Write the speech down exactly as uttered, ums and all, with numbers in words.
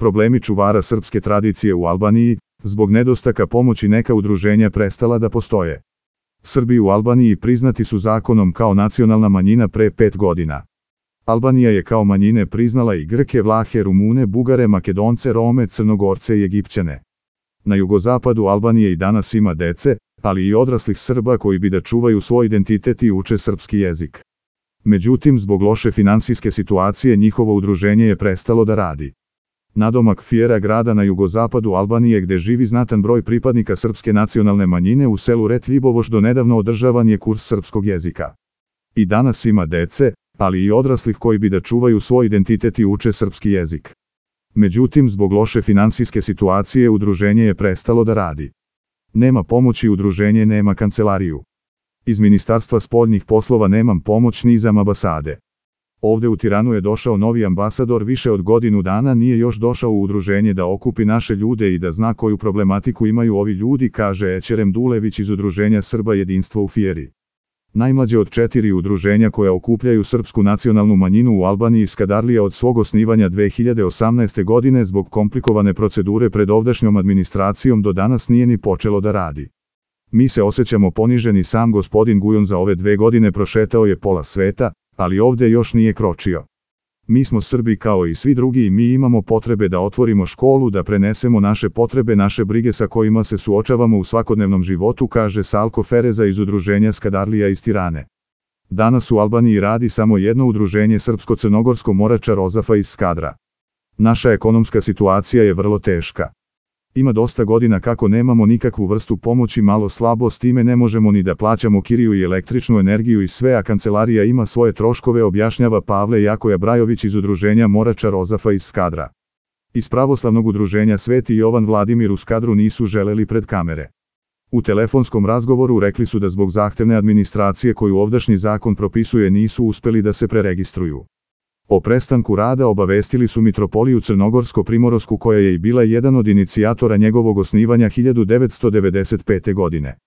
Problemi čuvara srpske tradicije u Albaniji, zbog nedostaka pomoći neka udruženja prestala da postoje. Srbi u Albaniji priznati su zakonom kao nacionalna manjina pre pet godina. Albanija je kao manjine priznala i Grke, Vlahe, Rumune, Bugare, Makedonce, Rome, Crnogorce i Egipćane. Na jugozapadu Albanije i danas ima dece, ali i odraslih Srba koji bi da čuvaju svoj identitet i uče srpski jezik. Međutim, zbog loše finansijske situacije njihovo udruženje je prestalo da radi. Nadomak Fiera, grada na jugozapadu Albanije gde živi znatan broj pripadnika srpske nacionalne manjine u selu Ret Ljibovoš do nedavno održavan je kurs srpskog jezika. I danas ima dece, ali i odraslih koji bi da čuvaju svoj identitet i uče srpski jezik. Međutim, zbog loše finansijske situacije udruženje je prestalo da radi. Nema pomoći, udruženje nema kancelariju. Iz Ministarstva spoljnih poslova nemam pomoć ni iz ambasade. Ovde u Tiranu je došao novi ambasador, više od godinu dana nije još došao u udruženje da okupi naše ljude i da zna koju problematiku imaju ovi ljudi, kaže Ećerem Dulević iz udruženja Srba Jedinstvo u Fieri. Najmlađe od četiri udruženja koja okupljaju srpsku nacionalnu manjinu u Albaniji, Skadarlija, od svog osnivanja dve hiljade osamnaeste. godine zbog komplikovane procedure pred ovdašnjom administracijom do danas nije ni počelo da radi. Mi se osjećamo poniženi, sam gospodin Gujon za ove dve godine prošetao je pola sveta, ali ovde još nije kročio. Mi smo Srbi kao i svi drugi i mi imamo potrebe da otvorimo školu, da prenesemo naše potrebe, naše brige sa kojima se suočavamo u svakodnevnom životu, kaže Salko Fereza iz udruženja Skadarlija iz Tirane. Danas u Albaniji radi samo jedno udruženje, Srpsko-crnogorsko Morača Rozafa iz Skadra. Naša ekonomska situacija je vrlo teška. Ima dosta godina kako nemamo nikakvu vrstu pomoći, malo slabo, s time ne možemo ni da plaćamo kiriju i električnu energiju i sve, a kancelarija ima svoje troškove, objašnjava Pavle Jakoja Brajović iz udruženja Morača Rozafa iz Skadra. Iz pravoslavnog udruženja Sveti Jovan Vladimir u Skadru nisu želeli pred kamere. U telefonskom razgovoru rekli su da zbog zahtevne administracije koju ovdašnji zakon propisuje nisu uspeli da se preregistruju. O prestanku rada obavestili su Mitropoliju Crnogorsko-Primorovsku, koja je i bila jedan od inicijatora njegovog osnivanja hiljadu devetsto devedeset pete. godine.